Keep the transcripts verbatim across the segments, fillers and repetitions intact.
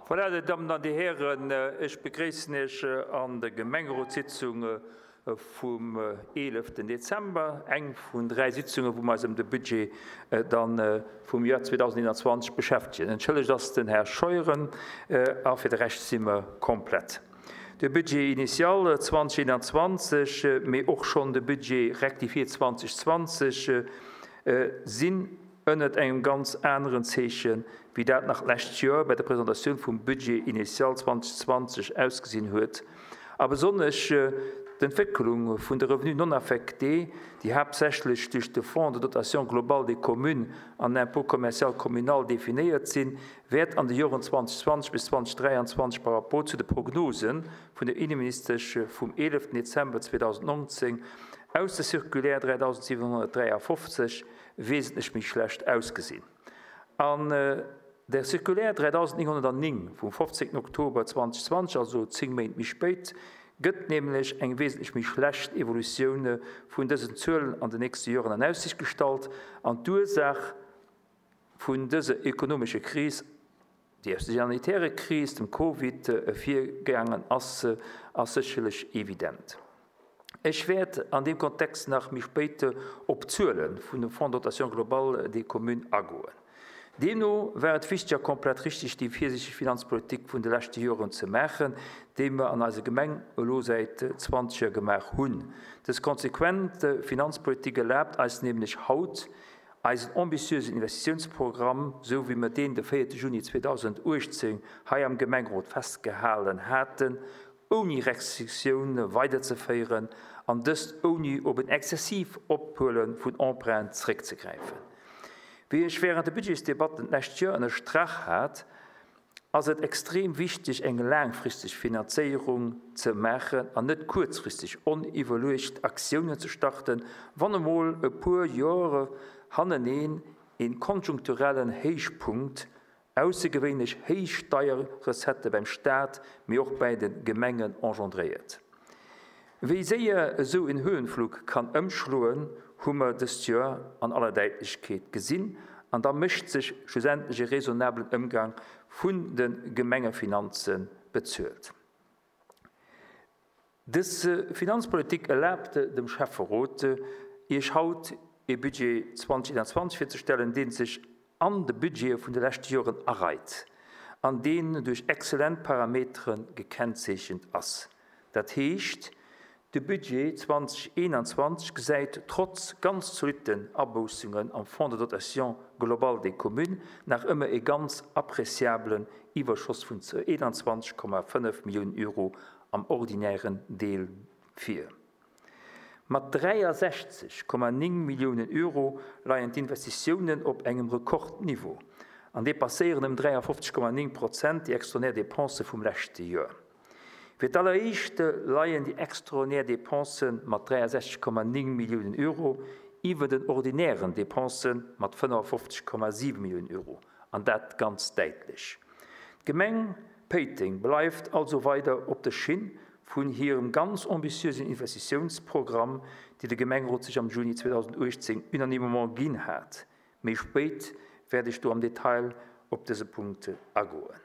Voilà, Dir Dammen an Dir Hären, ech begréissen Iech an der Gemengerotssitzung vum eeleften Dezember, eng vun dräi Sitzungen, wou mer eis ëm de Budget dann vum Joer zweedausendeenanzwanzeg beschäftegen. Entschëllegt ass den Här Scheuren a fir de Rescht si mer komplett. De Budget initial zweedausendeenanzwanzeg, mee och schonn de Budget rectifié zweetausendzwanzeg sinn ënnert engem ganz aneren Zeechen, wéi dat nach d'lescht Joer bei der Presentatioun vum Budget initial zweetausendzwanzeg ausgesinn huet. A besonnesch d'Entwécklung vun de Revenus non affectés, déi haaptsächlech duerch de Fonds de dotation globale des communes an l'impôt commercial communal definéiert sinn, wäert an de Joren zweetausendzwanzeg bis zweetausenddräianzwanzeg par rapport zu de Prognosen vun der Inneministesch vum eeleften Dezember zweetausendnonzéng aus der Circulaire dräidausendsiwenhonnertdräiafofzeg wesentlech méi schlecht ausgesinn. An der Circulaire dräidausendnénghonnertnéng vum fofzéngten Oktober zweetausendzwanzeg, also zéng Méint méi spéit, gëtt nämlech eng wesentlech méi schlecht Evolutioun vun dësen Zuelen an den nächste Joren an Aussicht gestallt an d'Ursaach vun dëser ökonomescher Kris, déi aus der sanitäre Kris, dem Covid, virgaangen ass, ass sécherlech evident. Ech wäert an deem Kontext nach méi spéit op d'Zuele vun dem Fonds de dotation globale des communes agoen. Deemno war et wichteg a komplett richtig, déi virsiichteg Finanzpolitik vun de leschte Joren ze maachen, déi mer an eiser Gemeng elo säit zwanzeg Joer gemaach hunn. Dës konsequent Finanzpolitik erlaabt eis nämlech haut, eisen ambitiösen Investitiounsprogramm, sou wéi mer deen de véierte Juni zweetausenduechtzéng hei am Gemengerot festgehalen haten, ouni Restriktioun weiderzeféieren an dëst ouni op en exzessiv Ophuele vun Emprunt zeréckzegräifen. Wéi ech während de Budgetsdebatten d'lescht Joer ënnerstrach hat, ass et extrem wichteg, eng laangfristeg Finanzéierung ze maachen an net kuerzfristeg oniwwerluecht Aktiounen ze starten, wann emol e puer Jore haneneen een konjunkturellen Héichpunkt, aussergewéinlech héich Steierrecettë beim Staat, mee och bäi de Gemengen engendréiert. Wéi séier esou en Höhenflug kann ëmschloen, hu mer dëst Joer an aller Däitlechkeet gesinn, an da mécht sech schlussendlech e raisonnablen Ëmgang vun de Gemengefinanze bezuelt. Dës Finanzpolitik erlaabt dem Schäfferot, Iech haut ee Budget zweetausendeentwanzeg virzestellen, dee sech an de Budgete vun de leschte Joren areit an deen duerch exzellent Parametere gekennzeechent ass. Dat heescht, de Budget zweetausendeentwanzeg gesäit trotz ganz zolitten Aboussungen am Fonds de dotation globale des communes nach ëmmer e ganz appréciablen Iwwerschoss vun eenanzwanzeg Komma fënnef Milliounen Euro am ordinären Deel vir. Mat dräiasechzeg Komma néng Milliounen Euro leien d'Investitiounen op engem Rekordniveau an dépasséieren ëm dräiafofzeg Komma néng Prozent déi extraordinär Dépense vum leschte Joer. Fir d'alleréischt leien déi extraordinär Dépense mat dräiasechzeg Komma néng Milliounen Euro iwwer den ordinären Dépense mat fënnefafofzeg Komma siwe Milliounen Euro, an dat ganz däitlech. D'Gemeng Péiteng bleift also weider op der Schinn vun hirem ganz ambitiösen Investitiounsprogramm, dee de Gemengerot sech am Juni zweetausenduechtzéng unanimement ginn hat. Méi spéit wäert ech do am Detail op dëse Punkt agoen.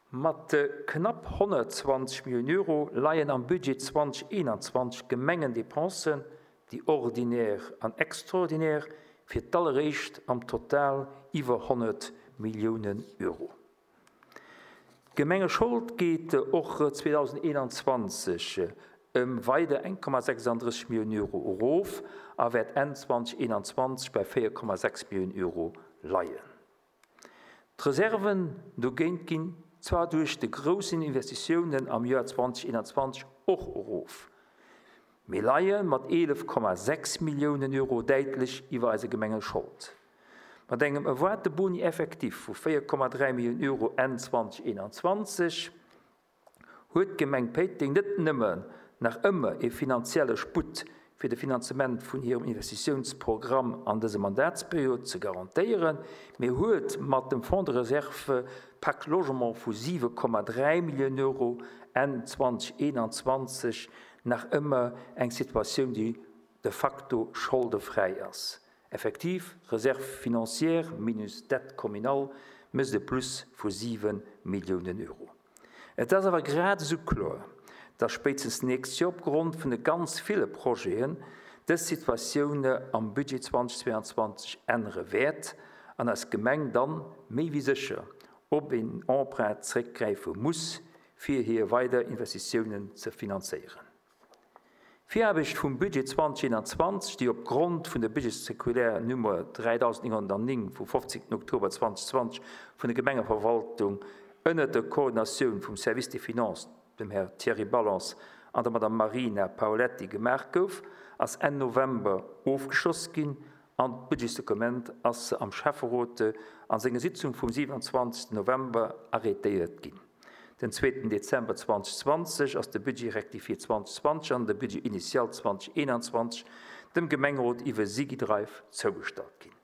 Mat knapp honnertzwanzeg Milliounen Euro leien am Budget zweetausendeentwanzeg Gemengendepensen, déi ordinär an extraordinär, fir d'alleréischt am Total iwwer honnert Milliounen Euro. D'Gemengeschold geet och zweetausendeentwanzeg ëm weider eng Komma sechsundrësseg Milliounen Euro erof a wäert Enn zweetausendeentwanzeg bei véier Komma sechs Milliounen Euro leien. D'Reserven dogéint ginn zwar duerch de groussen Investitiounen am Joer zweetausendeentwanzeg och erof, mee leie mat eelef Komma sechs Milliounen Euro däitlech iwwer eise Gemengeschold. Mat engem erwaarte Boni effectif vu véier Komma dräi Milliounen Euro Enn zweetausendeentwanzeg huet d'Gemeng Péiteng net nëmmen nach ëmmer e finanzielle Sputt fir de Finanzement vun hirem Investitiounsprogramm an dëser Mandatsperiod ze garantéieren, mee huet mat dem Fonds de réserve Pacte Logement vu siwe Komma dräi Milliounen Euro Enn zweetausendeentwanzeg nach ëmmer eng Situatioun, déi de facto scholdefräi ass. Effektiv, Réserve financière minus dette communale mécht e Plus vu siwe Milliounen Euro. Et ass awer grad esou kloer, dass spéitstens d'nächst Joer opgrond vun de ganz ville Projeten dës Situatioun am Budget zweitausendzweiundzwanzeg ännere wäert an eis Gemeng dann méi wéi sécher op een Emprunt zeréckgräife muss, fir hir weider Investitiounen ze finanzéieren. D'Viraarbecht vum Budget zweitausendeenundzwanzeg, déi opgrond vun der Budgetcirculaire Nummer dräidausendnénghonnertnéng vum fofzéngten Oktober zweitausendzwanzeg vun der Gemengeverwaltung ënner der Koordinatioun vum Service des Finances, dem Här Thierry Ballance an der Madame Marina Paoletti gemaach gouf, ass Enn November ofgeschloss ginn an d'Budgetsdokument ass am Schäfferot an senger Sitzung vum siewenundzwanzegsten November arrêtéiert ginn. Den zweeten Dezember zweitausendzwanzeg ass de Budget rectifié zweitausendzwanzeg an de Budget initial zweitausendeenundzwanzeg dem Gemengerot iwwer SigiDrive zougestallt ginn.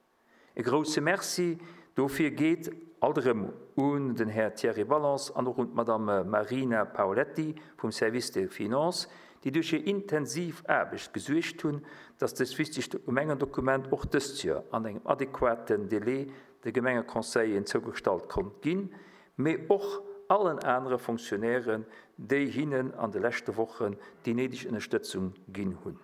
E grousse Merci dofir geet alt erëm un den Här Thierry Ballance an och un d'Madame Marina Paoletti vum Service des Finances, déi duerch hir intensiv Aarbecht gesuergt hunn, dass dëst wichtegt Gemengendokument och dëst Joer an engem adequaten Délai de Gemengeconseillen zougestallt konnt ginn, mee och allen anere Fonctionnairen, déi hinnen an de leschte Wochen déi néideg Ënnerstëtzung ginn hunn.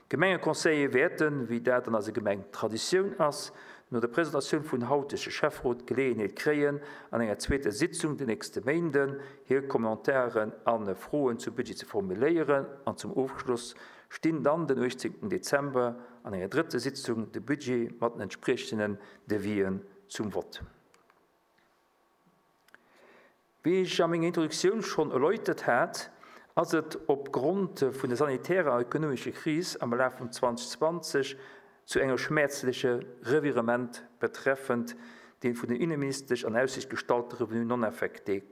Gemengeconseiller wäerten, wéi dat an eiser Gemeng Traditioun ass, no der Presentatioun vun hautege Schäfferot Geleeënheet kréien, an enger zweeter Sitzung den nächste Méinden hir Kommentaren an Froen zum Budget ze formuléieren an zum Ofschluss stinn dann den uechtzéngten Dezember an enger drëtter Sitzung de Budget mat den entsprechenden Devisen zum Vott. Wéi ech a menger Introduktioun schonn erläutert hat, ass et opgrond vun der sanitärer an ökonomescher Kris am Laf vun zweitausendzwanzeg zu enger schmäerzleche Revirement betreffend den vun den Innenministesch an Aussicht gestallte Revenu non affecté,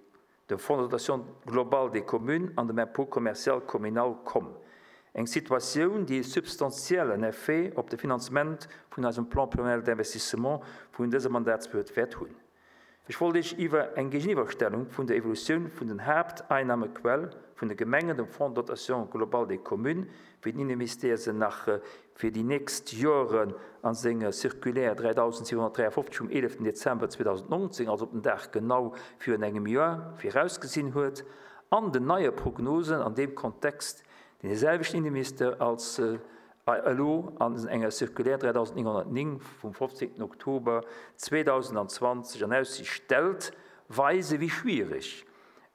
dem Fonds de dotation globale des communes an dem Impôt commercial communal komm. Eng Situatioun, déi e substantiellen Effet op de Finanzement vun eisem Plan pluriannuel d'investissement vun dëser Mandatsperiod wäert hunn. Ech wollt Iech iwwer eng Géigeniwwerstellung vun der Evolutioun vun den Haapteinnahmequelle vun de Gemengen, dem Fonds de dotation globale des communes, wéi den Innenministère se nach fir déi nächst Joren an senger Circulaire dräidausendsiewenhonnertdräiundfofzeg vum eeleften Dezember zweitausendneunzehn, also op den Dag genau virun engem Joer, virausgesinn huet, an den neie Prognosen an deem Kontext, deen de selwechten Innenminister als elo an enger Circulaire dräidausendnénghonnertnéng vum fofzéngten Oktober zweitausendzwanzeg an Aussicht stellt, weise wéi schwierig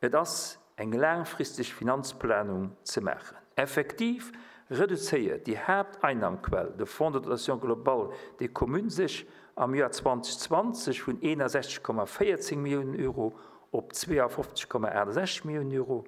et ass, eng laangfristeg Finanzplanung ze maachen. Effektiv reduzéiert déi Haapteinnahmequell, de Fonds de dotation globale des communes, sech am Joer zweitausendzwanzeg vun eenundsechzeg Komma véierzehn Milliounen Euro op zweiundfünfzig Komma achtundsechzig Millionen Euro,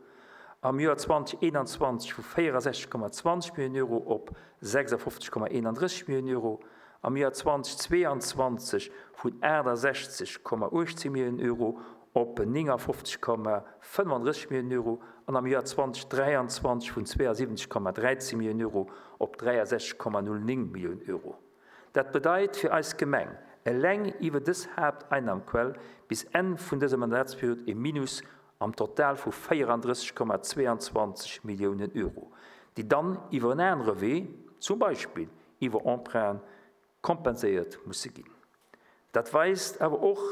am Joer zweitausendeinundzwanzig vu vierundsechzig Komma zwanzig Millionen Euro op sechsundfünfzig Komma einunddreißig Millionen Euro, am Joer zweitausendzweiundzwanzig vun achtundsechzig Komma achtzehn Millionen Euro op neunundfünfzig Komma fünfunddreißig Millionen Euro an am Joer zweitausenddreiundzwanzig vun zweiundsiebzig Komma dreizehn Millionen Euro op dreiundsechzig Komma null neun Millionen Euro. Dat bedeit fir eis Gemeng eleng iwwer dës Haapteinnahmequell bis Enn vun dëser Mandatsperiod e Minus am Total vu vierunddreißig Komma zweiundzwanzig Millionen Euro, déi dann iwwer en anere Wee, zum Beispill iwwer Emprunt, kompenséiert musse ginn. Dat weist awer och,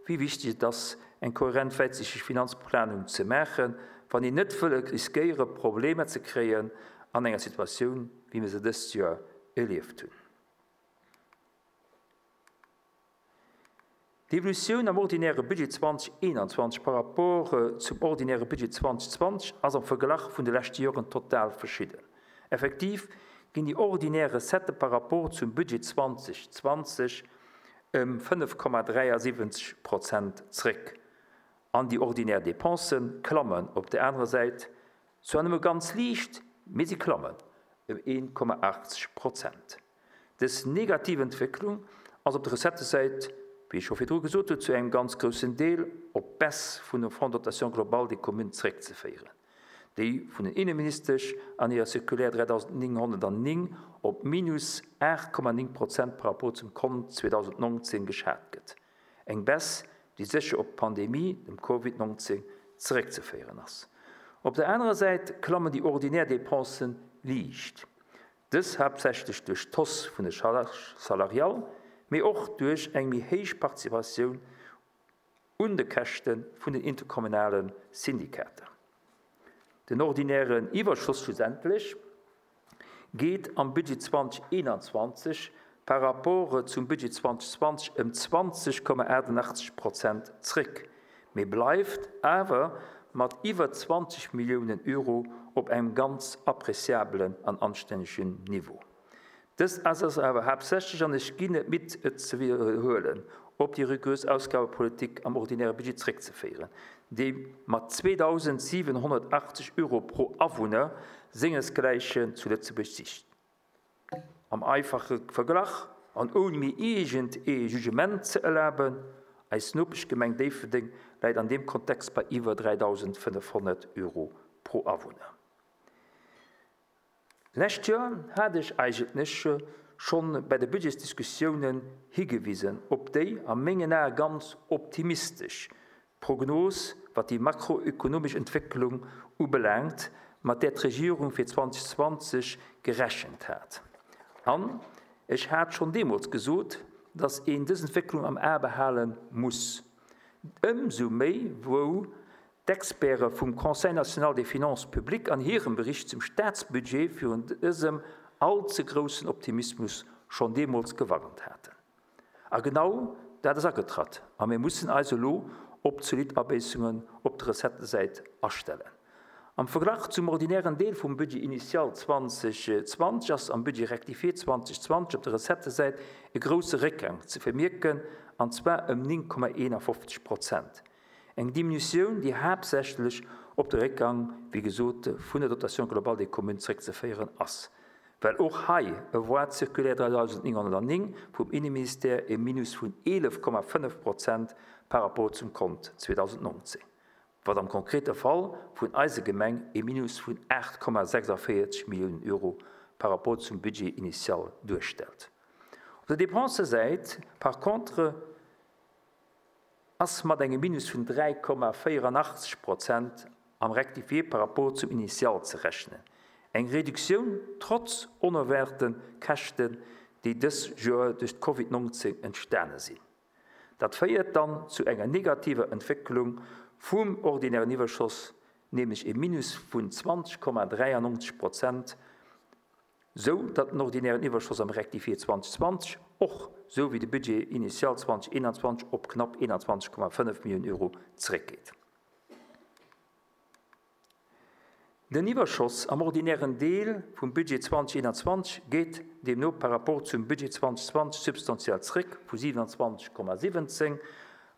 wéi wichtig et ass, eng kohärent wäitsichteg Finanzplanung ze maachen, wann een net wëll riskéiere Problemer ze kréien an enger Situatioun, wéi mir se dëst Joer erlieft hunn. D'Evolutioun am ordinäre Budget zweitausendeinundzwanzig par rapport zum ordinäre Budget zweitausendzwanzig ass am Verglach vun de leschte Joren total verschidden. Effektiv ginn déi ordinär Recette par rapport zum Budget zweitausendzwanzig ëm fënnef Komma dräiundsiebzig Prozent zréck. An déi ordinär Dépensen klammen op der anderen Säit zwar nëmme ganz liicht, mee si klammen ëm een Komma achtzig Prozent. Dës negativ Entwécklung ass op der Recettesäit, wéi ech scho virdru gesot hunn, zu engem ganz groussen Deel op d'Baisse vun dem Fonds de dotation globale des communes zréckzeféieren, déi vun den Innenministesch an hirer Circulaire dräidausendnénghonnertnéng op minus acht Komma néng Prozent par rapport zum Kont zweitausendneunzehn geschat gëtt. Eng Baisse, déi sécher op d'Pandemie, dem Covid neunzehn, zréckzeféieren ass. Op der anderer Säit klammen déi ordinär Dépensen liicht. Dës haaptsächlech duerch d'Hausse vun de Charges salariales, mee och duerch eng méi héich Participatioun un de Käschte vun den interkommunale Syndikater. Den ordinären Iwwerschoss schlussendlech geet am Budget zweitausendeenundzwanzeg par rapport zum Budget zweitausendzwanzeg ëm zwanzeg Komma achtundachtzeg Prozent zréck, mee bleift awer mat iwwer zwanzeg Milliounen Euro op engem ganz appréciablen an anstännegen Niveau. Dës ass awer haaptsächlech, an ech ginn net midd, et ze wiederhuelen, op déi rigorös Ausgabepolitik am ordinäre Budget zréckzeféieren, déi mat zweitausendsiewenhunnertachtzeg Euro pro Awunner sengesgläichen zu Lëtzebuerg sicht. Am einfache Verglach an ohne mir irgend e Jugement ze erlaben, eis Nopeschgemeng Déifferdeng läit an dem Kontext bei iwwer dreitausendfënnefhonnert Euro pro Awunner. Lescht Jahr hat ich eigentlich schon bei der Budgetdiskussionen hingewiesen, ob déi am mengen Ae ganz optimistisch Prognose, wat die makroökonomische Entwicklung ubelangt, mat der d'Regierung fir zweitausendzwanzeg gerechnet hat. An ich hat schon deemools gesot, dass een dës Entwicklung am A behalen muss. Ëmsou méi, wou d'Experte vum Conseil national des finances publiques an hirem Bericht zum Staatsbudget virun dësem allze großen Optimismus schon deemools gewarnt hatten. A genau dat ass agetratt. A mir mussen also lo op zolidd Abéissungen op der Recettesäit astellen. Am Verglach zum ordinären Deel vum Budget initial zweitausendzwanzeg ass am Budget rectifié zweitausendzwanzeg op der Recettesäit e grosse Réckgang ze vermierken, an zwar ëm néng Komma eenundfünfzeg Prozent. Eng Diminution, déi haaptsächlech op de Réckgang, wéi gesot, vun der Dotation globale des communes zréckzeféieren ass. Well och hei e Voie circulaire dreitausendneunhunnertneun vum Innenministère e Minus vun eelef Komma fënnef Prozent par rapport zum Kont zweitausendneunzehn. Wat am konkrete Fall vun eiser Gemeng e Minus vun acht Komma sechsundvierzig Millionen Euro par rapport zum Budget initial duerstellt. Op der Dépensesäit, par contre, ass mat engem Minus vun dräi Komma vierundachtzig Prozent am Rectifié par rapport zum Initial ze rechnen. Eng Reduktioun trotz onerwaarten Käschten, déi dës Joer duerch d'Covid neunzehn entstane sinn. Dat féiert dann zu enger negativer Entwicklung vum ordinären Iwwerschoss, nämlech e Minus vun zwanzig Komma dreiundneunzig Prozent, so datt den ordinären Iwwerschoss am Rectifié zweitausendzwanzig och, so wéi de Budget initial zweitausendeinundzwanzig op knapp einundzwanzig Komma fënnef Millionen Euro zréckgeet. Den Iwwerschoss am ordinären Deel vum Budget zweitausendeinundzwanzig geet deemno par rapport zum Budget zweitausendzwanzig substantiell zréck vu siebenundzwanzig Komma siebzehn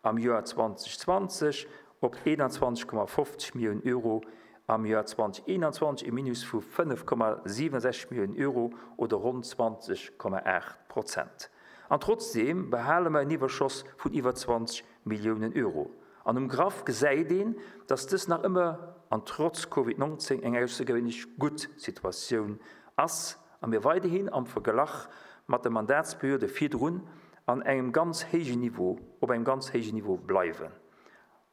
am Joer zweitausendzwanzig op einundzwanzig Komma fünfzig Millionen Euro am Joer zweitausendeinundzwanzig, e Minus vu fënnef Komma siebenundsechzig Millionen Euro oder rund zwanzig Komma acht Prozent. An trotzdem behale mer en Iwwerschoss vun iwwer zwanzig Millionen Euro. An um Graph gesäit een, dass dës nach ëmmer an trotz Covid neunzehn eng aussergewöhnlich gutt Situatioun ass a mir weiderhin am Verglach mat der Mandatsperiode virdrun an engem ganz héijen Niveau, op engem ganz héijen Niveau bleiwen.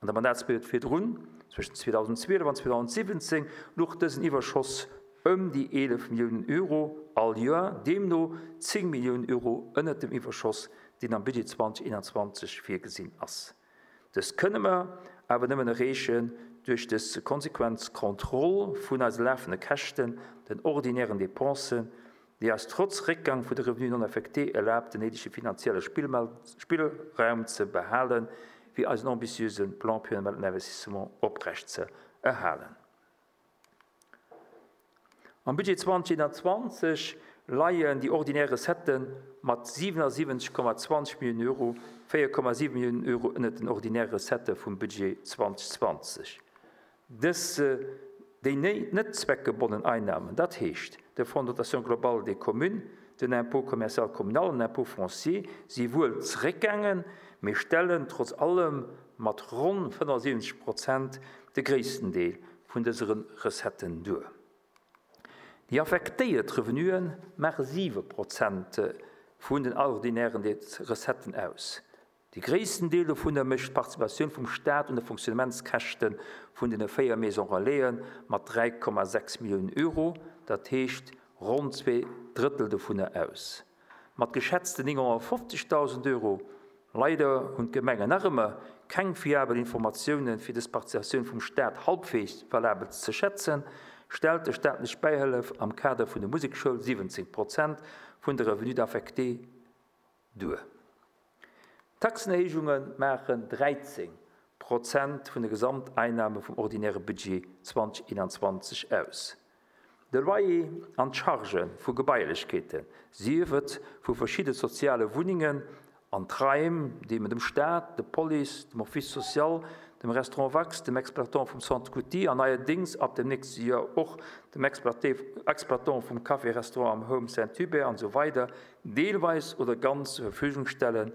An der Mandatsperiode virdrun, zwëschen zweitausendzwielef an zweitausendsiebzehn, luch dësen Iwwerschoss ëm déi eelef Millionen Euro all Joer, deemno zéng Millionen Euro ënnert dem Iwwerschoss, deen am Budget zweitausendeinundzwanzig virgesinn ass. Dës kënne mer awer nëmmen erreechen duerch dës konsequent Kontroll vun eise lafende Käschten, den ordinären Dépensen, déi eis trotz Réckgang vun de Revenus non affectés erlaabt, den néidege finanzielle Spillmel-, Spillraum ze behalen, fir eisen ambitiöse Plan pluriannuel d'investissement oprecht ze erhalen. Am Budget zweitausendeinundzwanzig leien déi ordinär Recetten mat siebenundsiebzig Komma zwanzig Millionen Euro, vier Komma sieben Millionen Euro ënnert den ordinäre Recette vum Budget zweitausendzwanzig. Dës, déi ne-, net zweckgebundenen Einnahmen, dat heescht de Fonds de dotation globale des communes, den Impôt commercial communal, den Impôt foncier, si wuel zréckgaangen, mee stellen trotz allem mat ronn fënnefundsiebzig Prozent de gréissten Deel vun dëseren Recetten duer. Déi affektéiert Revenuen maache siwe Prozent vun den ordinären Recetten aus. De gréissten Deel dovun mécht d'Participatioun vum Staat un de Fonctionnementskäschte vun den véier Maisons Relaisen mat dräi Komma sechs Millionen Euro, dat heescht ronn zwee Drëttel dovun aus. Mat geschätzten neunhundertfünfzigtausend Euro, leider hunn d'Gemengen nach ëmmer keng fiabel Informatiounen fir dës Participatioun vum Staat halbwegs valabel ze schätzen, stellt de staatlech Bäihëllef am Kader vun der Musekschoul siwwenzéng Prozent vun de Revenus d'affecté duer. D'Taxenerhéijunge maachen dräizéng Prozent vun de Gesamteinnahme vum ordinäre Budget zweitausendeenanzwanzeg aus. De Loyer an d'Charge vu Gebailechkeeten, sief et vu verschiddene soziale Wunnengen an d'Raim, déi mer dem Staat, der Police, dem Office social, dem Restaurant Wax, dem Exploitant vum Centre Couty an neierdéngs ab dem nächste Joer och dem Exploitant vum Café-Restaurant am Home Saint-Hubert an esou weider deelweis oder ganz zur Verfügung stellen,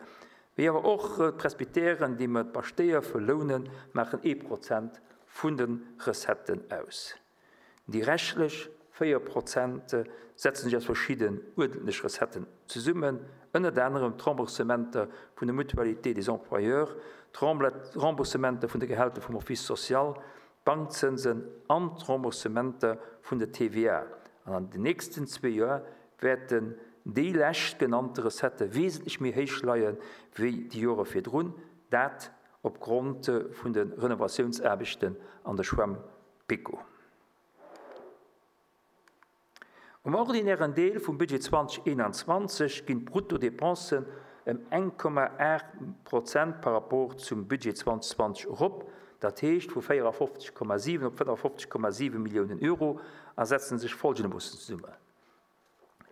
wéi awer och d'Presbytèren, déi mer d'Paschtéier verlounen, maachen ee Prozent vun de Recetten aus. Déi reschtlech véier Prozent setzen sech aus verschidden uerdentlech Recetten zesummen, ënnert anerem d'Remboursementer vun der Mutualité des employeurs, d'Remboursementer vun de Gehälter vum Office social, d'Bankzënsen an d'Remboursementer vun der T V A. An an den nächsten zwee Joer wäerten déi lescht genannte Recette wesentlech méi héich leien wéi déi Jore virdrun, dat opgrond vun de Renovatiounsaarbechten an der Schwämm Pico. Um ordinären Deel vum Budget zweitausendeenanzwanzeg ginn d'Bruttodepensen ëm eng Komma aacht Prozent par rapport zum Budget zweitausendzwanzeg erop, dat heescht vu véierafofzeg Komma siwen op fënnefofzeg Komma siwen Milliounen Euro a setzen sech folgendermoossen zesummen.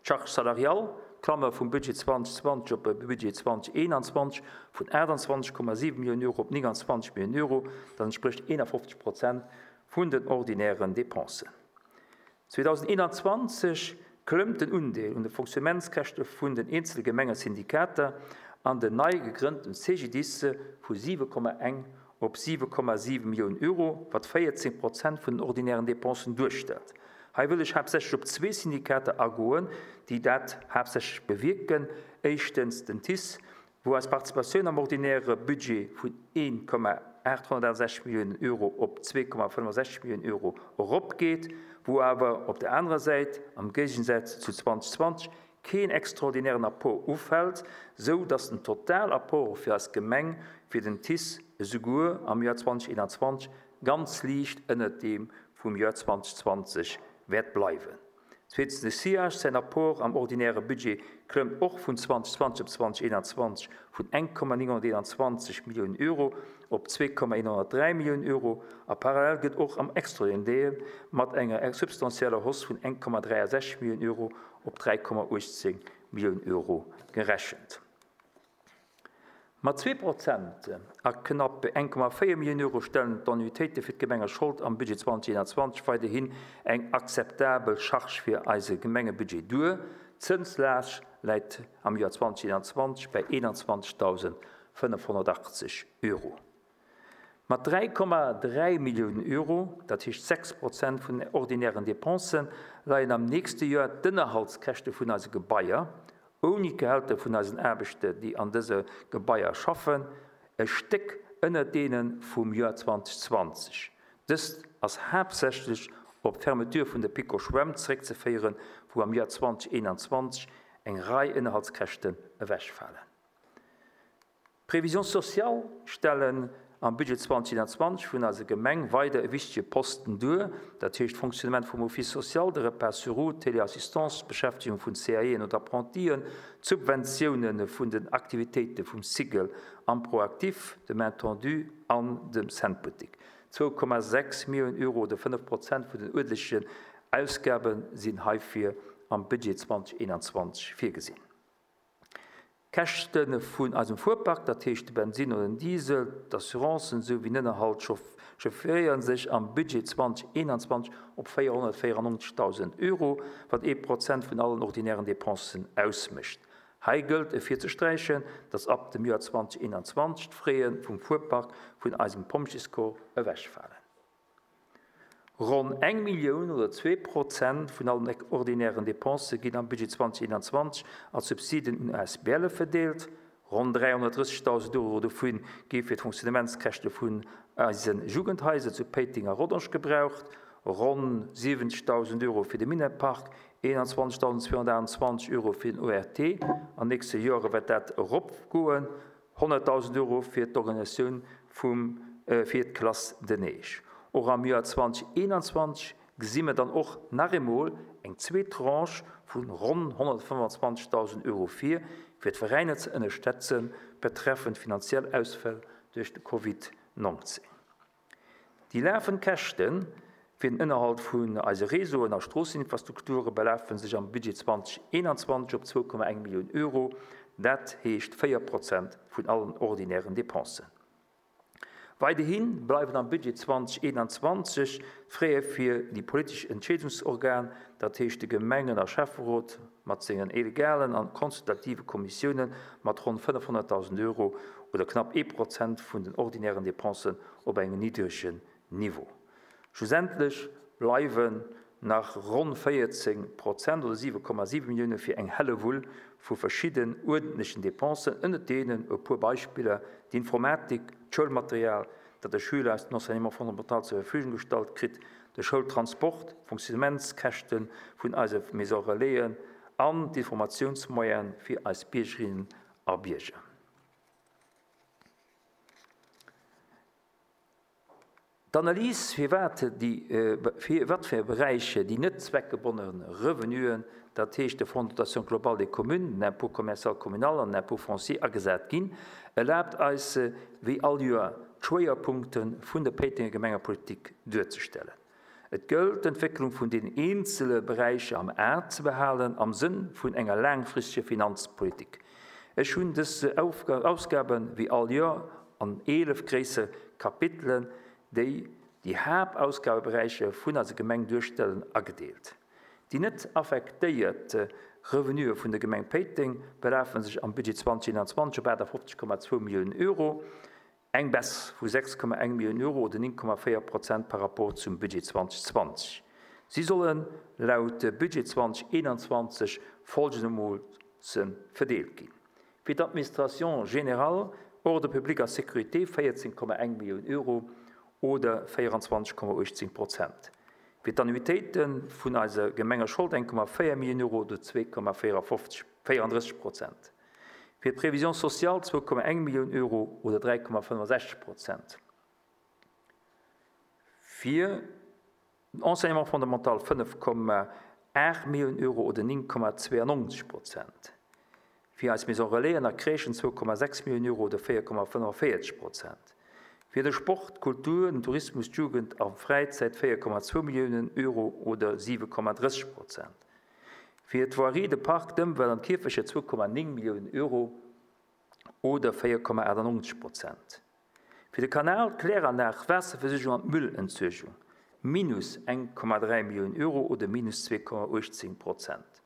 D'Charge salariale, Klammer vum Budget zweitausendzwanzeg op de Budget zweitausendeenanzwanzeg vun achtundzwanzeg Komma siwen Milliounen Euro op neunundzwanzeg Milliounen Euro, dat entspricht eenundfünfzig Prozent vun den ordinären Depensen. zweitausendeenundzwanzeg klëmmt den Undeel un de Fonctionnementskäschte vun den einzelnen Gemengesyndikater an den neu gegründeten C G D I S vu siwe Komma eng op siwe Komma siwen Millionen Euro, wat vierzehn Prozent vun den ordinären Depensen duerstellt. Hei will ich hauptsächlich op zwei Syndikater agoen, déi dat hauptsächlich bewirken. Erstens den T I S, wo als Partizipatioun am ordinäre Budget vun een Komma achthundertsechzig Millionen Euro op zwei Komma fünfundsechzig Millionen Euro eropgeht, wo aber op der anderen Seite am Gegensatz zu zweitausendzwanzig kein extraordinären Apport auffällt, so dass den Totalapport für das Gemeng für den T I S sogar am Jahr zweitausendeinundzwanzig ganz leicht unter dem vom Jahr zweitausendzwanzig wird bleiben. Zweitens, de C I H, sein Apport am ordinären Budget klëmmt och vun zweitausendzwanzig op zweitausendeinundzwanzig vun eng Komma neunhunderteinundzwanzig Millionen Euro op zwei Komma einhundertdrei Millionen Euro a parallel gëtt och am extraordinären Deel mat enger substanzieller Hausse vun eng Komma dreiundsechzig Millionen Euro op drei Komma achtzehn Millionen Euro gerechnet. Mat zwei Prozent a knapp eng Komma vier Millionen Euro stellen d'Annuitéite fir d'Gemenge Schold am Budget zweitausendeinundzwanzig weiterhin eng akzeptabel Charge fir eise Gemengebudget duer. D'Zënslaascht läit am Jahr zweitausendeinundzwanzig bei einundzwanzigtausendfünfhundertachtzig Euro. Mat drei Komma drei Millionen Euro, dat heescht sechs Prozent vun den ordinären Depensen, leien am nächsten Jahr d'Ënnerhaltskäschte vun eise Gebaier, ohne Gehälter vun eisen Aarbechter, déi an dëse Gebaier schaffen, e Stéck ënner deene vum Jahr zweitausendzwanzig. Dëst ass hauptsächlich op d'Fermeture vun der Pico Schwämm zréckzeféieren, wou am Jahr zweitausendeinundzwanzig eng Rei Ënnerhaltskäschten ewechfallen. Prévisions sociales stellen am Budget zweitausendeinundzwanzig vun eiser Gemeng weider e wichtige Posten duer, dat heescht Fonctionnement vum Office social, de Repas sur roue, Teleassistance, Beschäftigung vun C A E und Apprentien, Subventionen vun den Aktivitéite vum Sigel am Proaktiv, dem Main Tendu an dem Centboutique. zwei Komma sechs Millionen Euro oder fünf Prozent vun den uerdentlechen Ausgaben sinn heifir am Budget zweitausendeinundzwanzig virgesinn. Käschte vun eisem Fuhrpark, dat heescht de Benzin oder den Diesel, d'Assurancen souwéi den Ënnerhalt chaufféieren sech am Budget zweitausendeinundzwanzig op vierhundertvierundneunzigtausend Euro, wat ee Prozent vun allen ordinären Depensen ausmécht. Hei gëllt et virzesträichen, dass ab dem Jahr zweitausendeinundzwanzig d'Fraie vum Fuhrpark vun eisem Pompjeescorps ewechfalen. Ronn eng Millioun oder zwei Prozent vun allen ordinären Depense ginn am Budget zweitausendeinundzwanzig als Subsiden un A S B L verdeelt. Ronn dreihundertdreißigtausend Euro dovun gi fir d'Fonctionnementskäschte vun eisen Jugendhaiser zu Péiteng a Rodange gebraucht, ronn siwenzigtausend Euro fir de Minetpark, einundzwanzigtausendzweihundertachtundzwanzig Euro fir den O R T. An nächste Jahre wird dat eropgoen, hunderttausend Euro fir d'Organisatioun vum, äh, fir d'Classe de neige. Och am Joer zweedausendeenanzwanzeg gesi mer dann och nach eemol eng zweet Tranche vun ronn honnertfënnfanzwanzegdausend Euro vir, fir d'Veräiner ze ënnerstëtzen, betreffend finanziell Ausfäll duerch de Covid neunzehn. Déi lafend Käschten fir den Ënnerhalt vun eise Réseauen a Stroosseninfrastrukture belafe sech am Budget zweedausendeenanzwanzeg op zwou Komma eng Millioun Euro, dat heescht véier Prozent vun allen ordinären Dépensen. Weiderhin bleiwen am Budget zweedausendeenanzwanzeg Frais fir déi politesch Entscheedungsorgan, dat heescht de Gemengen- a Schäfferot mat sengen illegalen an konsultative Kommissiounen mat ronn fënnefhonnertdausend Euro oder knapp ee Prozent vun den ordinären Dépensen op engem niddregen Niveau. Schlussendlech bleiwen nach ronn véierzéng Prozent oder siwe Komma siwe Millioune fir eng Hellewull vu verschidden uerdentlechen Dépensen, ënnert deenen e puer Beispiller d'Informatik, d'Schoulmaterial, dat de Schüler aus dem Enseignement fondamental zur Verfügung gestallt kritt, de Schoultransport, Fonctionnementskäschte vun eise Maison Relaisen an d'Informatiounsmoyene fir eis Biergerinnen a Bierger. D'Analyse fir wat déi, äh, fir wat fir Beräiche déi net zweckgebundene Revenuen, dat heescht de Fonds de dotation globale des communes, den Impôt commercial communal an den Impôt foncier agesat ginn, erlaabt eis, äh, wéi all Joer d'Schwéierpunkte vun der Péitenger Gemengepolitik duerzestellen. Et gëllt d'Entwécklung vun den eenzele Beräicher am A ze behalen, am Sënn vun enger laangfristeger Finanzpolitik. Ech hunn dës Aufga-, Ausgaben wéi all Joer an eelef gréisser Kapitelen, déi déi Hauptausgabeberäiche vun eiser Gemeng duerstellen, agedeelt. Déi net affektéiert Revenue vun der Gemeng Péiteng belafen sech am Budget zweedausendeenanzwanzeg op achtundfünfzeg Komma zwou Milliounen Euro, eng Baisse vu sechs Komma eng Milliounen Euro oder neun Komma véier Prozent par rapport zum Budget zweitausendzwanzig. Sie sollen laut Budget zweitausendeinundzwanzig folgendermaßen verdeelt ginn. Fir d'Administration générale, Ordre public a Sécurité vierzehn Komma eng Milliounen Euro oder vierundzwanzig Komma achtzehn Prozent. Fir d'Annuitéiten vun eiser Gemengeschold eng Komma véier Milliounen Euro oder zwei Komma vierundfünfzig, vierunddrësseg Prozent. Fir d'Prévision sociale zwei Komma eng Milliounen Euro oder drei Komma fünfundsechzig Prozent. Fir den Enseignement fondamental fünf Komma acht Millionen Euro oder neun Komma zweiundneunzig Prozent. Fir eis Maison Relais an der Crèchen zwei Komma sechs Millionen Euro oder vier Komma fünfundvierzig Prozent. Fir de Sport, Kultur, den Tourismus, Jugend a Fräizäit vier Komma zwei Millionen Euro oder sieben Komma dreißig Prozent. Fir d'Voirie, de Park, d'Ëmwelt an d'Kierfecher zwei Komma neun Millionen Euro oder vier Komma achtundneunzig Prozent. Fir de Kanal, d'Kläranlag, Waasserversuergung an d'Müllentsuergung minus eng Komma drei Millionen Euro oder minus zwei Komma achtzehn Prozent.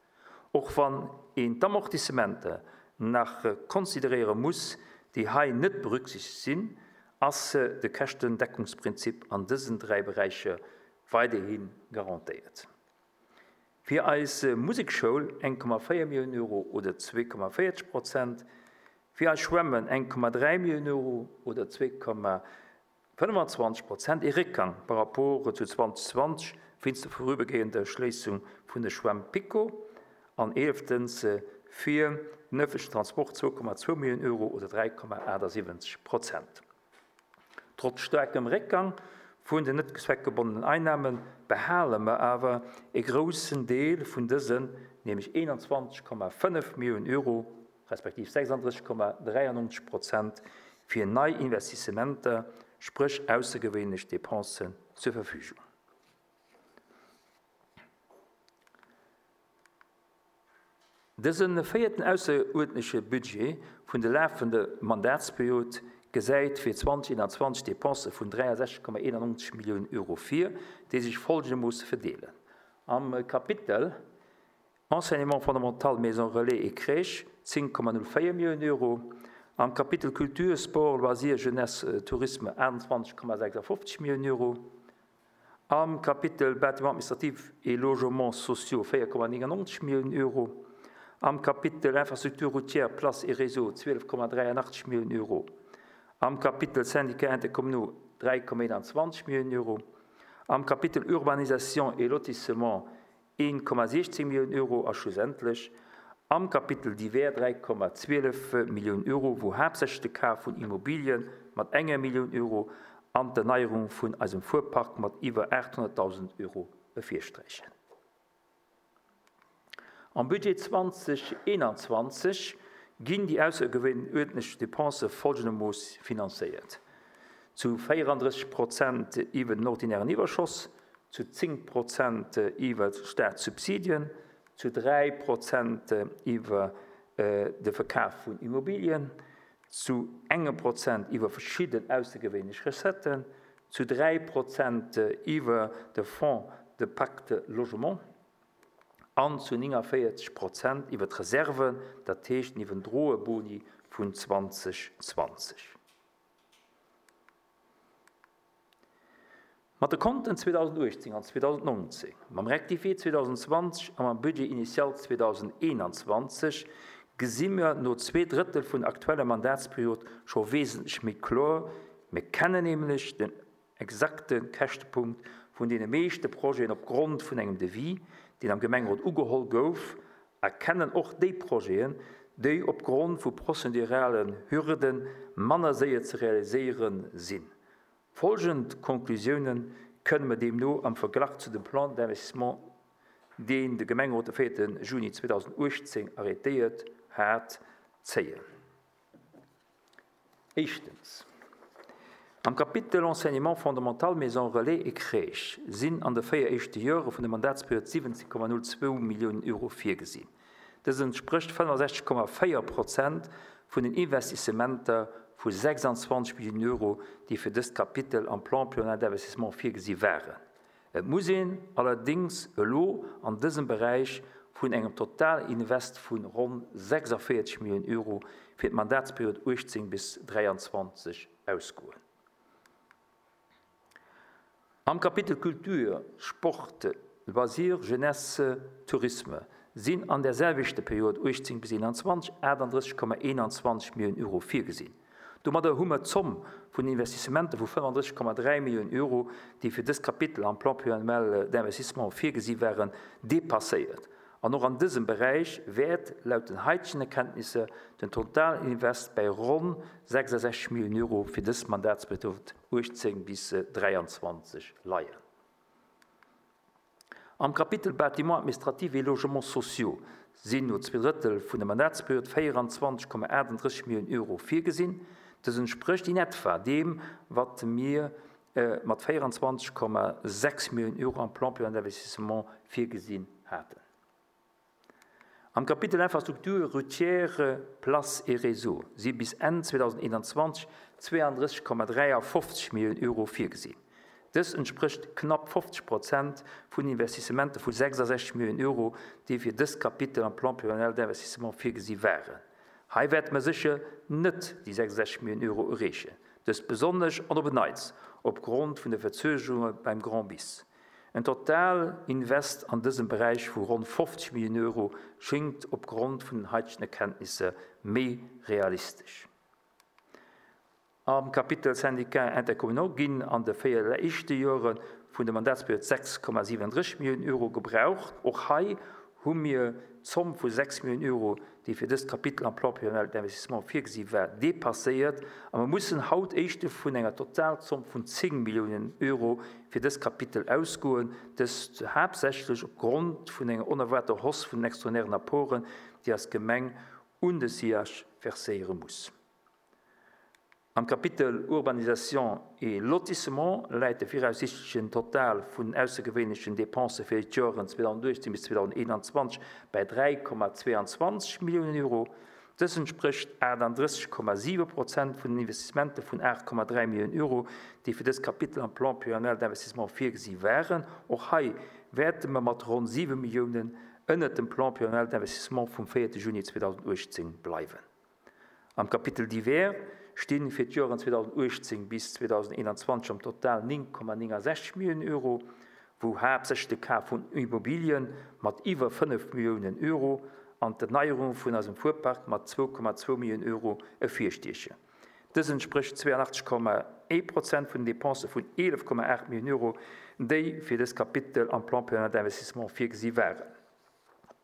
Och wann een d'Amortissementer nach konsideréiere muss, déi hei net berücksichtigt sinn, ass de Käschtendeckungsprinzip an dësen drei Bereiche weiterhin garantéiert. Fir eis Musikschoul eng Komma véier Millionen Euro oder zwei Komma vierzig Prozent, fir eis Schwämmen eng Komma drei Millionen Euro oder zwei Komma fünfundzwanzig Prozent, e Réckgang par rapport zu zweitausendzwanzig wéinst der vorübergehender Schléissung vun der Schwämm Pico an elftens fir den öffentlichen Transport zwei Komma zwei Millionen Euro oder drei Komma achtundsiebzig Prozent. Trotz starkem Réckgang vun den net zweckgebundenen Einnahmen behale mer awer e großen Deel vun dësen, nämlich einundzwanzig Komma fünf Millionen Euro, respektiv sechsunddreißig Komma dreiundneunzig Prozent fir nei Investissementer, sprich außergewöhnliche Dépensen zur Verfügung. Dësen vierten außerordentliche Budget vun der laufenden Mandatsperiode gesäit fir zweitausendeinundzwanzig Dépense vun dreiundsechzig Komma einundneunzig Millionen Euro vir, déi sich folgendermaßen verdeelen. Am Kapitel Enseignement fondamental, Maison Relais et Crèche zehn Komma null vier Millionen Euro, am Kapitel Kultur, Sport, Loisirs, Jeunesse, Tourisme einundzwanzig Komma sechsundfünfzig Millionen Euro, am Kapitel Bâtiment administratif et Logements sociaux vier Komma neunundneunzig Millionen Euro, am Kapitel Infrastruktur routière, Place et Réseau zwölf Komma dreiundachtzig Millionen Euro, am Kapitel Syndicat intercommunaux drei Komma einundzwanzig Millionen Euro, am Kapitel Urbanisation et Lotissement ein Komma sechzehn Millionen Euro a schlussendlich am Kapitel Divers drei Komma zwölf Millionen Euro, wo hauptsächlich der Kauf von Immobilien, mat enger Millioun Euro an d'Erneierung vun eisem Fuerpark mat iwwer aathonnertdausend Euro ervirsträichen. Am Budget zweitausendeenanzwanzeg ginn déi aussergewöhnlech Dépense folgendermooss finanzéiert. Zu véierunddrësseg Prozent iwwer den ordinären Iwwerschoss, zu zéng Prozent iwwer Staatssubsidien, zu dräi Prozent iwwer de Verkaf vun Immobilien, zu engem Prozent iwwer verschidden aussergewöhnlech Recetten, zu dräi Prozent iwwer de Fonds de Pacte Logement an zu neunundvierzig Prozent iwwer d'Reserven, dat heescht iwwer den Droheboni vun zweitausendzwanzig. Mat de Konten zweitausendachtzehn an zweitausendneunzehn, mam Rectifié zweitausendzwanzig an mam Budget initial zweitausendeinundzwanzig gesinn wir no zwei Drittel vun aktueller Mandatsperiod scho wesentlich méi kloer. Wir kennen nämlich den exakten Käschtepunkt vun den meeschte Projeten opgrund vun engem Devis, den am Gemengerot ugeholl gouf, erkennen och déi Projeten, déi opgrund vu prozeduralen Hürden manner séier ze realiséieren sinn. Folgend Konklusionen können wir demno am Vergleich zu dem Plan d'investissement, den de Gemengerot de vierten Juni zweitausendachtzehn arrêtéiert hat, zéien. Erstens. Am Kapitel Enseignement fondamental, Maison Relais et Crèche sind an de véier éischte Jahre vun der Mandatsperiod siwwenzehn Komma null zwei Millionen Euro virgesinn. Das entspricht fünfundsechzig Komma vier Prozent vun den Investissementer vu sechsundzwanzig Millionen Euro, déi fir dëst Kapitel am Plan pluriannuel d'investissement virgesi waren. Et muss een allerdings elo an dësem Bereich vun engem Totalinvest vun ronn sechsundvierzig Millionen Euro fir d'Mandatsperiod achtzehn bis dräiundzwanzig ausgoen. Am Kapitel Kultur, Sport, Loisirs, Jeunesse, Tourisme sinn an der selwechter Period achtzehn bis einundzwanzig achtunddreißig Komma einundzwanzig Millionen Euro virgesinn. Domadder hu mer d'Zomm vun Investissementen vu fünfunddreißig Komma drei Millionen Euro, déi fir dëst Kapitel am Plan pluriannuel d'investissement virgesi waren, dépasséiert. An och an dësem Bereich wäert laut den heutigen Erkenntnisse den Totalinvest bei ronn sechsundsechzig Millionen Euro fir dës Mandatsperiod achtzehn bis dräiundzwanzig leien. Am Kapitel Bâtiment administratif et logements sociaux sinn no zwei Drittel vun der Mandatsperiod vierundzwanzig Komma achtunddreißig Millionen Euro virgesinn. Das entspricht in etwa dem, was wir, äh, mat vierundzwanzig Komma sechs Millionen Euro am Plan pluriannuel d'investissement virgesinn hatten. Am Kapitel Infrastruktur, Routière, Place et Réseau si bis Enn zweitausendeinundzwanzig zweiunddreißig Komma dreiundfünfzig Millionen Euro virgesinn. Das entspricht knapp fünfzig Prozent vun Investissementen vu sechsundsechzig Millionen Euro, déi fir dëst Kapitel am Plan pluriannuel d'investissement virgesi waren. Hei wäerte mer sicher net déi sechsundsechzig Millionen Euro erreechen. Das besonnesch an op Neits opgrund vun der Verzögerung beim Grand Bis. Ein Totalinvest an diesem Bereich vu rund fünfzig Millionen Euro schinkt opgrund vun den heutigen Erkenntnissen méi realistisch. Am Kapitel Syndicat intercommunal ginn an de véier éischte Jore vun der Mandatsperiod sechs Komma siebenunddreißig Millionen Euro gebraucht. Och hei hu mir d'Zomm vu sechs Millionen Euro, déi fir dëst Kapitel am Plan pluriannuel d'investissement virgesi war, dépasséiert. A mer mussen haut éischte vun enger Totalzomm vun zéng Millionen Euro fir dëst Kapitel ausgoen, dëst haaptsächlech opgrund vun enger onerwaarter Hausse vun den extraordinären Apporten, déi als Gemeng un de S I H verséiere muss. Am Kapitel Urbanisation et Lotissement läit de viraussichtlichen Total vun aussergewöhnlichen Dépensen fir d'Joren zweitausendachtzehn bis zweitausendeinundzwanzig bei drei Komma zweiundzwanzig Millionen Euro. Das entspricht achtunddreißig Komma sieben Prozent vun den Investissementen vun acht Komma drei Millionen Euro, déi fir dëst Kapitel am Plan pluriannuel d'investissement virgesi waren. Och hei wäerte mer mat rund sieben Millionen ënner dem Plan pluriannuel d'investissement vum vierten Juni zweitausendachtzehn bleiwen. Am Kapitel Divers stehen fir d'Joren zweitausendachtzehn bis zweitausendeinundzwanzig am Total neun Komma neunundsechzig Millionen Euro, wou haaptsächlech de Kaf vun Immobilien mat iwwer fënnef Millionen Euro an d'Erneuerung vun eisem Fuhrpark mat zwei Komma zwei Millionen Euro ervirstiechen. Dës entspricht zweiundachtzig Komma een Prozent vun den Dépensen vun elef Komma acht Millionen Euro, déi fir dës Kapitel am Plan pluriannuel d'investissement virgesi waren.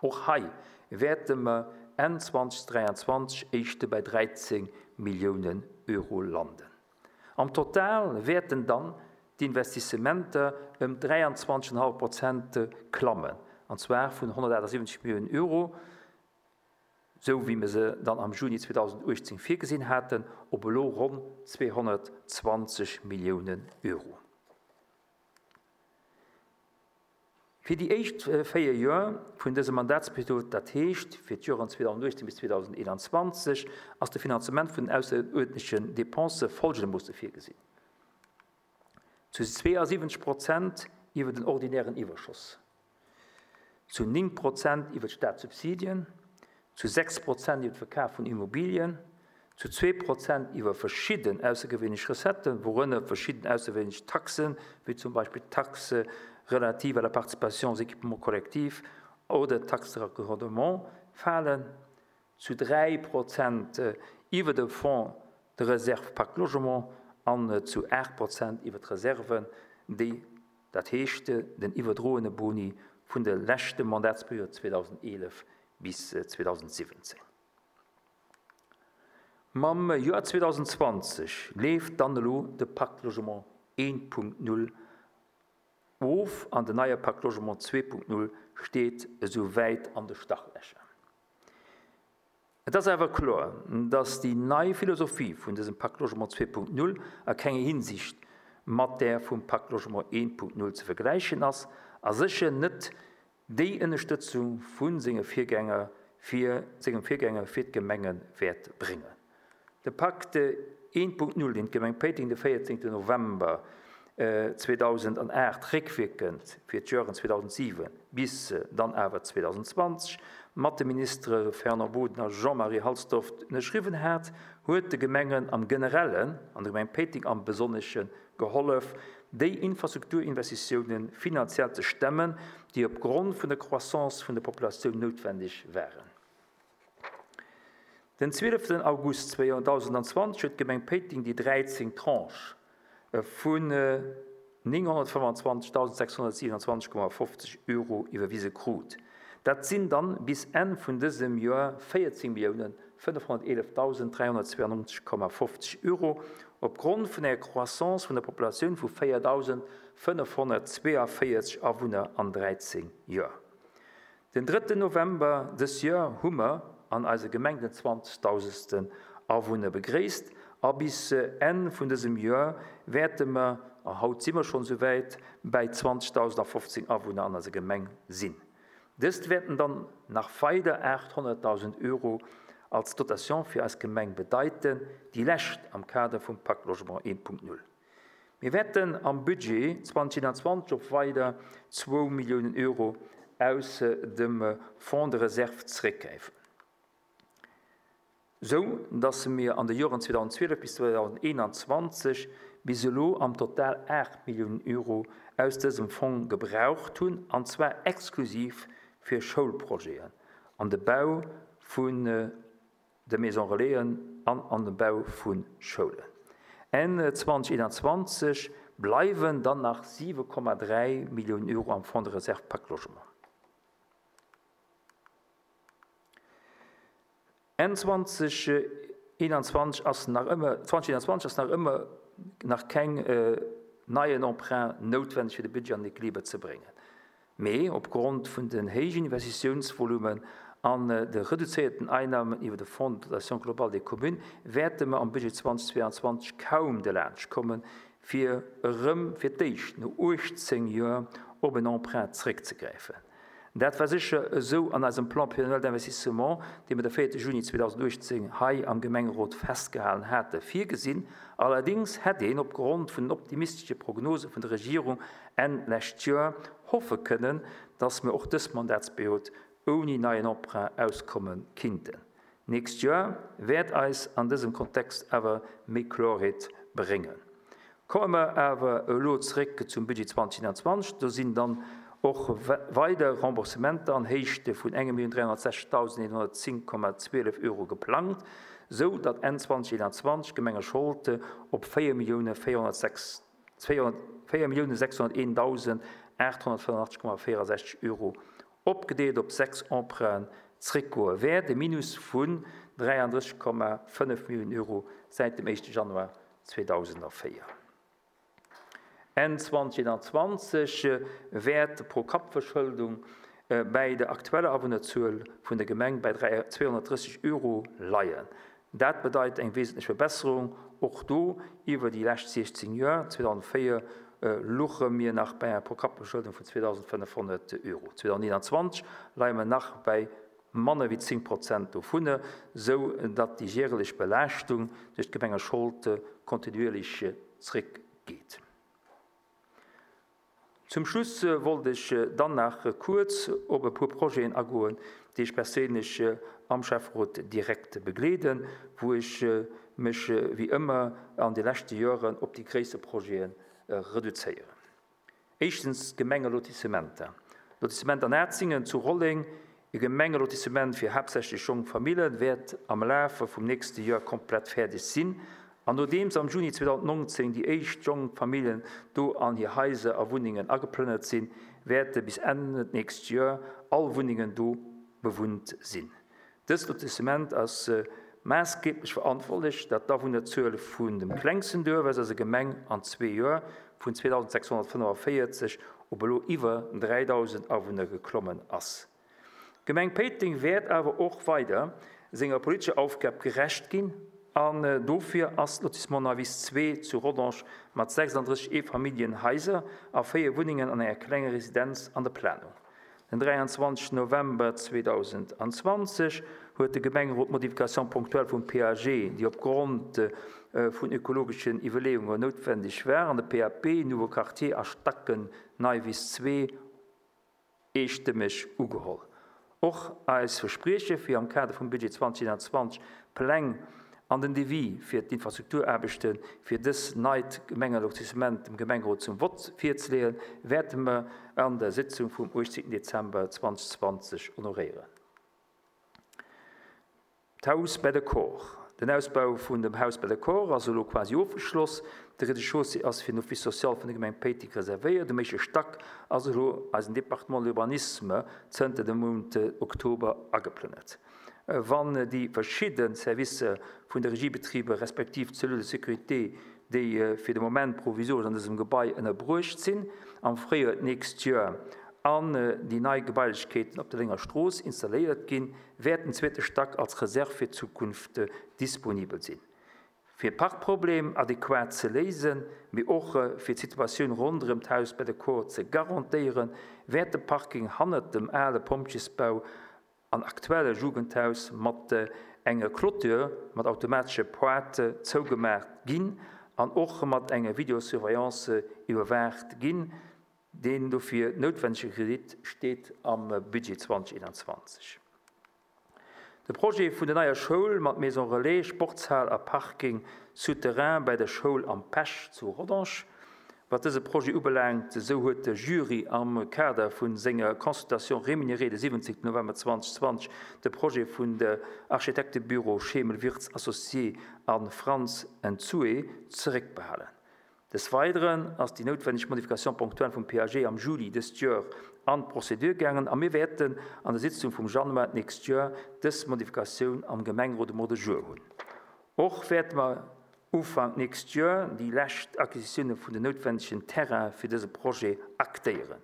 Och hei wäerte mer Enn zweitausenddräiundzwanzig éischte bei dreizehn Millionen Euro landen. Am Total wäerten dann d'Investissementer ëm dräianzwanzeg Komma fënnef Prozent klammen, an zwar vun honnertachtundsiwwenzeg Milliounen Euro, sou wéi mir se dann am Juni zweedausenduechtzéng virgesinn haten, op elo ronn zweehonnertzwanzeg Milliounen Euro. Fir déi éischt véier Joer vun dësem Mandatsperiod, dat heescht fir d'Joren zweedausenduechtzéng bis zweedausendeenanzwanzeg, ass de Finanzement vun den ausseruerdentlechen Depensë folgendermoosse virgesinn. Zu zweeënsiwwenzeg Prozent iwwer den ordinären Iwwerschoss, zu néng Prozent iwwer d'Staatssubsidien, zu sechs Prozent iwwer de Verkaf vun Immobilien, zu zwee Prozent iwwer verschidden aussergewöhnlich Recetten, worunter verschidden aussergewöhnlich Taxen, wéi zum Beispill Taxe relative à la participation aux équipements collectifs oder Taxe de raccordement falen, zu dräi Prozent iwwer de Fonds de réserve Pacte Logement an zu acht Prozent iwwer d'Reserven, déi, dat heescht, den iwwerdroene Boni vun der leschten Mandatsperiod zweedausendeelef bis zweedausensiwwenzéng. Mam Joer zweedausendzwanzeg leeft dann elo de Pacte Logement eent Punkt null of an den neie Pacte Logement zwee Punkt null steet esou wäit an de Startlächer. Et ass awer kloer, dass déi nei Philosophie vun dësem Pacte Logement zwee Punkt null a kenger Hinsicht mat där vum Pacte Logement eent Punkt null ze vergläichen ass, a sécher net déi Ënnerstëtzung vun senge Virgänger fir, sengem Virgänger fir d'Gemenge wäert bréngen. De Pacte eent Punkt null, deen d'Gemeng Péiteng de véierzéngten November zweedausendacht réckwierkend fir d'Joren zweedausensiwen bis dann awer zweedausendzwanzeg mat de Ministere Fernand Boden a Jean-Marie Halsdorf ënnerschriwwen hat, huet de Gemengen am Generellen an der Gemeng Péiteng am Besonnesche gehollef, déi Infrastrukturinvestitiounen finanziell ze stemmen, déi opgrond vun der Croissance vun der Populatioun noutwendig waren. Den zwieleften August zweedausendzwanzeg huet d'Gemeng Péiteng déi dräizéng Tranche vun nénghonnertfëmmundzwanzegdausendsechshonnertsiewenundzwanzeg Komma fofzeg Euro iwwerwise krut. Dat sinn dann bis Enn vun dësem Joer véierzéng Milliounen fënnefhonnerteelefdausenddräihonnertzweiundneunzeg Komma fofzeg Euro opgrond vun enger Croissance vun der Populatioun vu véierdausendfënnefhonnertzweeënvéierzeg Awunner an dräizéng Joer. Den drëtten November dës Joer hu mer an eiser Gemeng den zwanzegdausendsten Awunner begréisst a bis Enn vun dësem Joer wäerte mer, a haut si mer schonn souwäit, bei zwanzegdausendfofzéng Awunner an eiser Gemeng sinn. Dëst wäerten dann nach weider achthonnertdausend Euro als Dotation fir eis Gemeng bedeiten, déi lescht am Kader vum Pacte Logement eent Punkt null. Mir wäerten am Budget zweitausendeinundzwanzeg op weider zwou Milliounen Euro aus dem Fonds de Réserve zréckgräifen. Sou, dass mir an de Joren zweedausendzwielef bis zweedausendeenanzwanzeg bis elo am Total acht Milliounen Euro aus dësem Fonds gebraucht hunn, an zwar exklusiv fir Schoulprojeten, an de Bau vun de Maison Relaisen an an de Bau vun Schoulen. Enn zweitausendeenanzwanzeg bleiwen dann nach siwe Komma dräi Milliounen Euro am Fonds de Réserve Pacte Logement. Enn zweitausendeenanzwanzeg ass nach ëmmer, zweitausendeenanzwanzeg ass nach ëmmer nach keng, äh, neien Emprunt noutwendig fir de Budget an den Equiliber ze bréngen. Mee opgrond vun den héijen Investitiounsvolumen an de reduzéierten Einnahmen iwwer de Fonds de dotation globale des communes wäerte mer am Budget zweitausendzweiundzwanzeg kaum de Laatsch kommen, fir erëm fir d'éischt no uechtzéng Joer op en Emprunt zréckzegräifen. Dat war sicher esou an eisem Plan pluriannuel d'investissement, dee mir de véierte Juni zweetausenduechtzéng hei am Gemengerot festgehalen hatte, virgesinn. Allerdings hätt een opgrond vun den optimistesche Prognose vun der Regierung Enn lescht Joer hoffe kënnen, dass mir och dës Mandatsperiod ouni neien Emprunt auskommen kinnten. Nächst Joer wäert eis an dësem Kontext awer méi Klarheet bréngen. Komme mer awer elo zréck zum Budget zweitausendeinundzwanzeg, do sinn dann och weider Remboursementer an Héichte vun enge Million dräihonnertsechzigtausendeenhonnertzéng Komma zwielef Euro geplangt, sou datt Enn zweitausendeinundzwanzeg Gemengescholde op véier Millioune véierhonnertsechs, véier Millioune sechshonnerteentausendachthonnertfënnefundachtzeg Komma véierundsechzeg Euro opgedeelt op sechs Emprunten zréckgoe wäert, e Minus vun dräiunddrësseg Komma fënnef Millioune Euro säit dem éischte Januar zweedausendvéier. Enn zweedausendeenanzwanzeg wäert d'Pro-Kapp-Verschëldung bäi der aktueller Awunnerzuel vun der Gemeng bei zweehonnertdrësseg Euro leien. Dat bedeit eng wesentlech Verbesserung, och do iwwer déi lescht siechzéng Joer. zweedausendvéier louche mir nach bei enger Pro-Kapp-Verschëldung vun zweedausendfënnefhonnert Euro. zweedausendeenanzwanzeg leie mer nach bei manner wéi zéng Prozent dovunner, sou datt déi jährlech Belaaschtung duerch d'Gemengeschold kontinuierlech zréckgeet. Zum Schluss wollt ech dann nach kuerz op e puer Projeten agoen, déi ech perséinlech am Schäfferot direkt begleeden, wou ech mech wéi ëmmer an de leschte Joren op déi gréisser Projete reduzéieren. Éischtens d'Gemengelotissementer. Lotissement an Atzingen zu Rolleng, e Gemengelotissement fir haaptsächlech jonk Famillen, wäert am Laf vum nächste Joer komplett fäerdeg sinn. An nodeems am Juni zweedausendnonzéng déi éischt jonk Famillen do an hir Haiser a Wunnengen ageplënnert sinn, wäerte bis Enn d'nächst Joer all Wunnengen do bewunnt sinn. Dëst Lotissement ass maassgeeblech verantwortlech, datt d'Awunnerzuel vun dem klengsten Duerf aus eiser Gemeng an zwee Joer vun zweetausendsechshonnertfënnefenvéierzeg op elo iwwer dräidausend Awunner geklommen ass. D'Gemeng Péiteng wäert awer och weider senger politescher Aufgab gerecht ginn an dofir ass d'Lotissement Neuwiss zwee zu Rodange mat sechsandrësseg Eefamilljenhaiser a véier Wunnengen an enger klenger Residenz an der Planung. Den dräianzwanzegsten November zweedausendzwanzeg huet de Gemengerot d'Modification ponctuelle vum P A G, déi opgrond vun ökologeschen Iwwerleeungen noutwendeg war, an de P A P Nouveau Quartier a Stacken Neuwiss zwee eestëmmeg ugeholl. Och eis Versprieche fir am Kader vum Budget zweedausendeenanzwanzeg Pläng an den Devis fir d'Infrastrukturaarbechte fir dës neit Gemengelotissement dem Gemengerot zum Vott virzeleeën, wäerte mer an der Sitzung vum achtzehnten Dezember zweetausendzwanzeg honoréieren. D'Haus bei der Cor. Den Ausbau vun dem Haus bei der Cor ass elo quasi ofgeschloss. De Rez-de-chaussée ass fir den Office social vun der Gemeng Péiteng reservéiert. Um éischte Stack ass elo eisen Département de l'Urbanisme zënter dem Mount Oktober ageplënnert. Wann déi verschidden Servicer vun der Regiebetriebe respektiv d'Cellule de sécurité, déi fir de Moment provisoresch an dësem Gebai ënnerbruecht sinn, am Fréijoer d'nächst Joer an déi nei Gebailechkeeten op der Lénger Strooss installéiert ginn, wäert den zweete Stack als Reserve fir d'Zukunft disponibel sinn. Fir Parkproblem adäquat ze léisen, mee och fir d'Situatioun ronderëm d'Haus bei der Cor ze garantéieren, wäert de Parking hannert dem ale Pompjesbau an aktuelle Jugendhaus mat enger Clôture mat automatesche Pointe zougemaach ginn an och mat enger Videosurveillance iwwerwaacht ginn. Den dofir noutwendege Kredit steet am Budget zweedausendeenanzwanzeg. De Projet vun der neier Schoul mat Maison Relais, Sportshal a Parking souterrain bei der Schoul am Pech zu Rodange. Wat dëse Projet ubelaangt, sou huet de Jury am Kader vun senger Consultation rémunérée de siwwenzéngten November zweetausendzwanzeg de Projet vun der Architektebüro Schemel-Wirtz Associé an Franz Enzue zeréckbehalen. Des Weiteren ass déi noutwendeg Modification ponctuelle vum P A G am Juli dëst Joer an d'Prozedur gaangen a mir wäerten an der Sitzung vum Januar d'nächst Joer dës Modifikatioun am Gemengerot um Ordre du jour hunn. Och wäerte mer Ufank nächst Joer déi lescht Acquisitioune vun den noutwendegen Terrain fir dëse Projet aktéieren.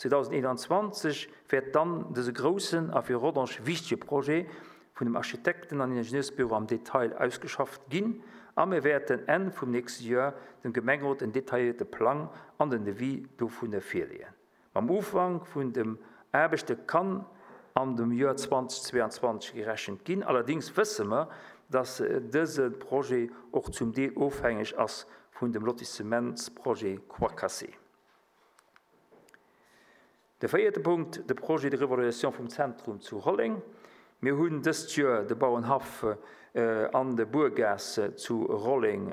zweedausendeenanzwanzeg wäert dann dëse groussen a fir Rodange wichtege Projet vun dem Architekten an Ingenieursbüro am Detail ausgeschafft ginn a mir wäerten Enn vum nächsten Joer dem Gemengerot en detaillierte Plang an den Devis dovun virleeën. Am Ufank vun dem Aarbechte kann an dem Joer zweetausendzweiundzwanzeg gerechent ginn. Allerdings wësse mer, dass dëse Projet och zum Deel ofhängeg ass vun dem Lotissementsprojet Croix-Cassée. De véierte Punkt, de Projet de Revaluation vum Zentrum zu Rolleng. Mir hunn dëst Joer de Bauernhaff an de Burgas zu Rolleng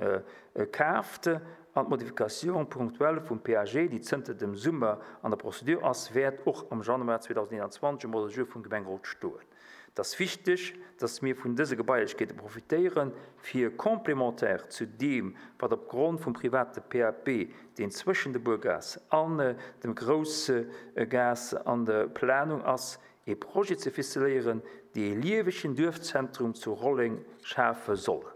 kaaft an d'Modifikatioun ponctuelle vum P A G, déi zënter dem Summer an der Prozedur ass, wäert och am Januar zweetausendzweiundzwanzeg um Ordre du jour vum Gemengerot stoen. Et ass wichteg, dass mir vun dëse Gebailechkeete profitéieren, fir complémentaire zu dem, wat opgrond vum private P A P, deen zwëschen de Burgas an dem grousse Gas an der Planung ass, e Projet ze ficeléieren, dee e liewegen Duerfzentrum zu Rolleng schafe soll.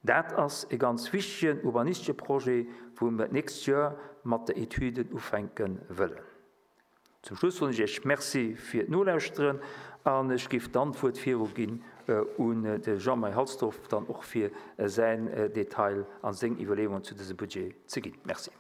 Dat ass e ganz wichtegen urbanistesche Projet, wou mer d'nächst Joer mat de Etüden ufänke wëllen. Zum Schluss soen ech Iech Merci fir d'Nolauschteren an ech géif dann d'Wuert viruginn un de Jean-Marie Halsdorf, dann och fir säin Detail a seng Iwwerleeungen zu dësem Budget ze ginn. Merci.